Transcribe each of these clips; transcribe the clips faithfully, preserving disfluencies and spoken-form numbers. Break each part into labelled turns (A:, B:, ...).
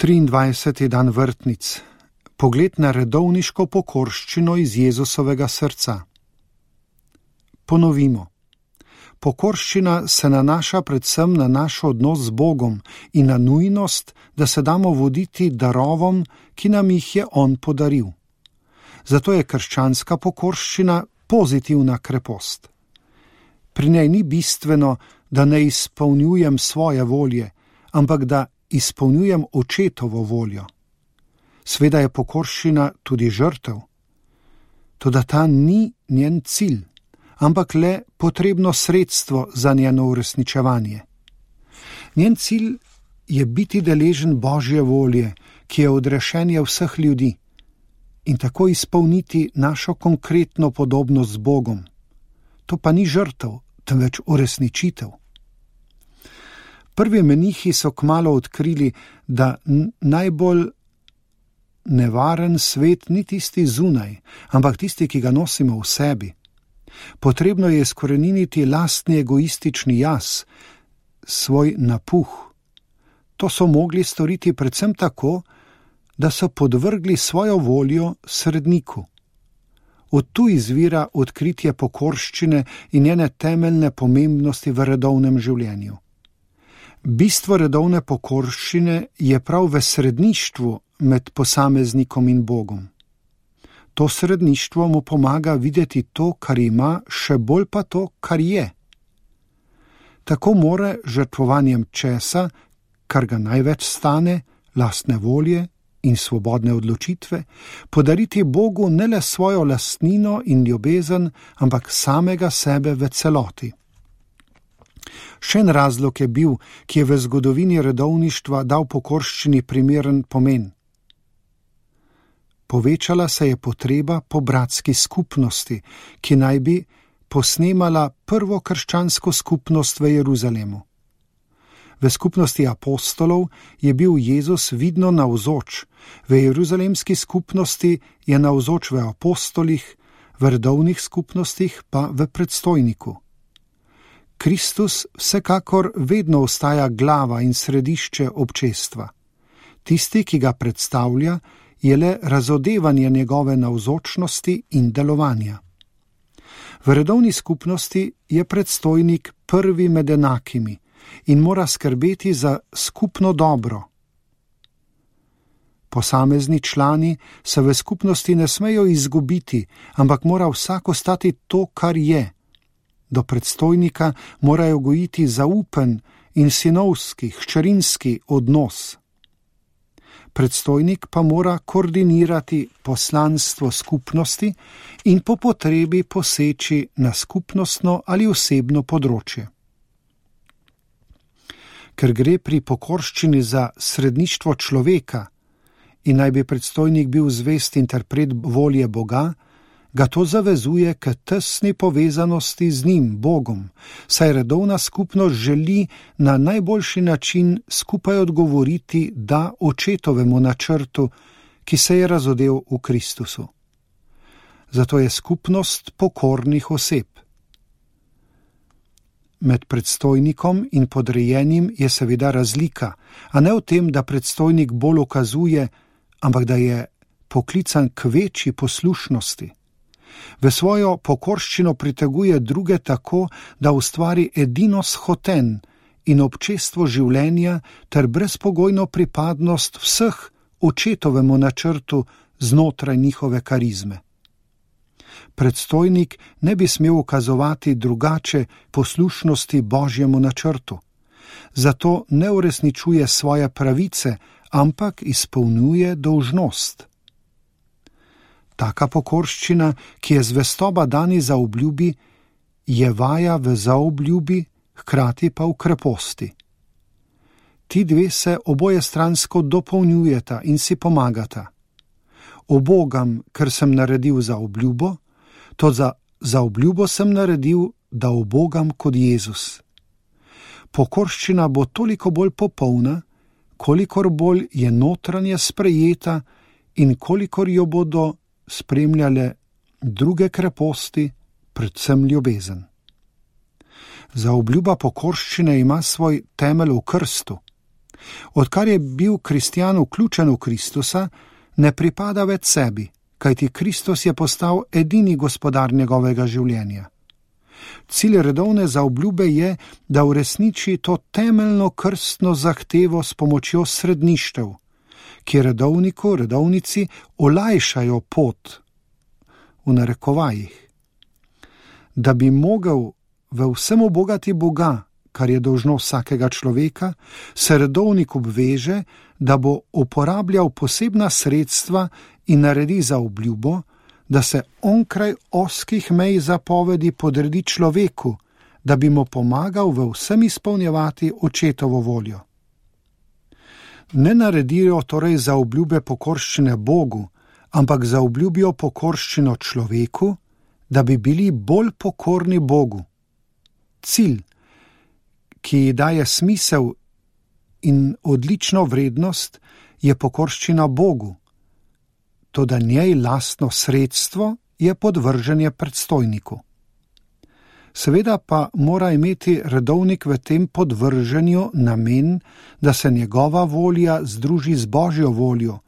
A: triindvajseti dan vrtnic. Pogled na redovniško pokorščino iz Jezusovega srca. Ponovimo. Pokorščina se nanaša predvsem na naš odnos z Bogom in na nujnost, da se damo voditi darovom, ki nam jih je On podaril. Zato je krščanska pokorščina pozitivna krepost. Pri njej ni bistveno, da ne izpolnjujem svoje volje, ampak da izpolnjujem očetovo voljo. Sveda je pokorščina tudi žrtev, toda ta ni njen cilj, ampak le potrebno sredstvo za njeno uresničevanje. Njen cilj je biti deležen Božje volje, ki je odrešenje vseh ljudi, in tako izpolniti našo konkretno podobnost z Bogom. To pa ni žrtev, temveč uresničitev. Prvi menihi so kmalu odkrili, da najbolj nevaren svet ni tisti zunaj, ampak tisti, ki ga nosimo v sebi. Potrebno je izkoreniniti lastni egoistični jaz, svoj napuh. To so mogli storiti predvsem tako, da so podvrgli svojo voljo sredniku. Od tu izvira odkritje pokorščine in njene temeljne pomembnosti v redovnem življenju. Bistvo redovne pokorščine je prav v sredništvu med posameznikom in Bogom. To sredništvo mu pomaga videti to, kar ima, še bolj pa to, kar je. Tako more žrtvovanjem česa, kar ga največ stane, lastne volje in svobodne odločitve, podariti Bogu ne le svojo lastnino in ljubezen, ampak samega sebe v celoti. Še en razlog je bil, ki je v zgodovini redovništva dal pokorščini primeren pomen. Povečala se je potreba po bratski skupnosti, ki naj bi posnemala prvo krščansko skupnost v Jeruzalemu. V skupnosti apostolov je bil Jezus vidno navzoč, v jeruzalemski skupnosti je navzoč v apostolih, v redovnih skupnostih pa v predstojniku. Kristus vsekakor vedno ostaja glava in središče občestva. Tisti, ki ga predstavlja, je le razodevanje njegove navzočnosti in delovanja. V redovni skupnosti je predstojnik prvi med enakimi in mora skrbeti za skupno dobro. Posamezni člani se v skupnosti ne smejo izgubiti, ampak mora vsak ostati to, kar je. Do predstojnika morajo gojiti zaupen in sinovski, hčerinski odnos. Predstojnik pa mora koordinirati poslanstvo skupnosti in po potrebi poseči na skupnostno ali osebno področje. Ker gre pri pokorščini za sredništvo človeka in naj bi predstojnik bil zvest interpret volje Boga, ga to zavezuje k tesni povezanosti z njim, Bogom, saj redovna skupnost želi na najboljši način skupaj odgovoriti da očetovemu načrtu, ki se je razodel v Kristusu. Zato je skupnost pokornih oseb. Med predstojnikom in podrejenim je seveda razlika, a ne v tem, da predstojnik bolj ukazuje, ampak da je poklican k večji poslušnosti. V svojo pokorščino priteguje druge tako, da ustvari edinost hoten in občestvo življenja ter brezpogojno pripadnost vseh očetovemu načrtu znotraj njihove karizme. Predstojnik ne bi smel ukazovati drugače poslušnosti Božjemu načrtu, zato ne uresničuje svoje pravice, ampak izpolnjuje dolžnost. Taka pokorščina, ki je zvestoba dani za obljubi, je vaja v zaobljubi, hkrati pa v kreposti. Ti dve se obojestransko dopolnjujeta in si pomagata. Obogam, ker sem naredil za obljubo, to za, za obljubo sem naredil, da obogam kot Jezus. Pokorščina bo toliko bolj popolna, kolikor bolj je notranje sprejeta in kolikor jo bodo spremljale druge kreposti, predvsem ljubezen. Zaobljuba pokorščine ima svoj temelj v krstu. Odkar je bil kristjan vključen v Kristusa, ne pripada več sebi, kajti Kristus je postal edini gospodar njegovega življenja. Cilj redovne zaobljube je, da uresniči to temeljno krstno zahtevo s pomočjo sredništev, ki redovniku, redovnici olajšajo pot, v narekovajih. Da bi mogel v vsem ubogati Boga, kar je dolžno vsakega človeka, se redovnik obveže, da bo uporabljal posebna sredstva in naredi zaobljubo, da se onkraj ozkih mej zapovedi podredi človeku, da bi mu pomagal v vsem izpolnjevati očetovo voljo. Ne naredijo torej zaobljube pokorščine Bogu, ampak zaobljubijo pokorščino človeku, da bi bili bolj pokorni Bogu. Cilj, ki daje smisel in odlično vrednost, je pokorščina Bogu, toda njej lastno sredstvo je podvrženje predstojniku. Seveda pa mora imeti redovnik v tem podvrženju namen, da se njegova volja združi z Božjo voljo,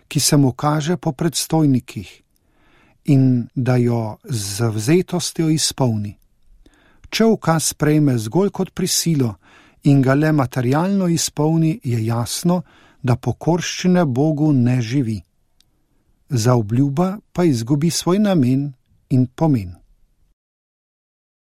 A: ki se mu kaže po predstojnikih, in da jo z zavzetostjo izpolni. Če ukaz sprejme zgolj kot prisilo in ga le materialno izpolni, je jasno, da pokorščine Bogu ne živi. Zaobljuba pa izgubi svoj namen in pomen.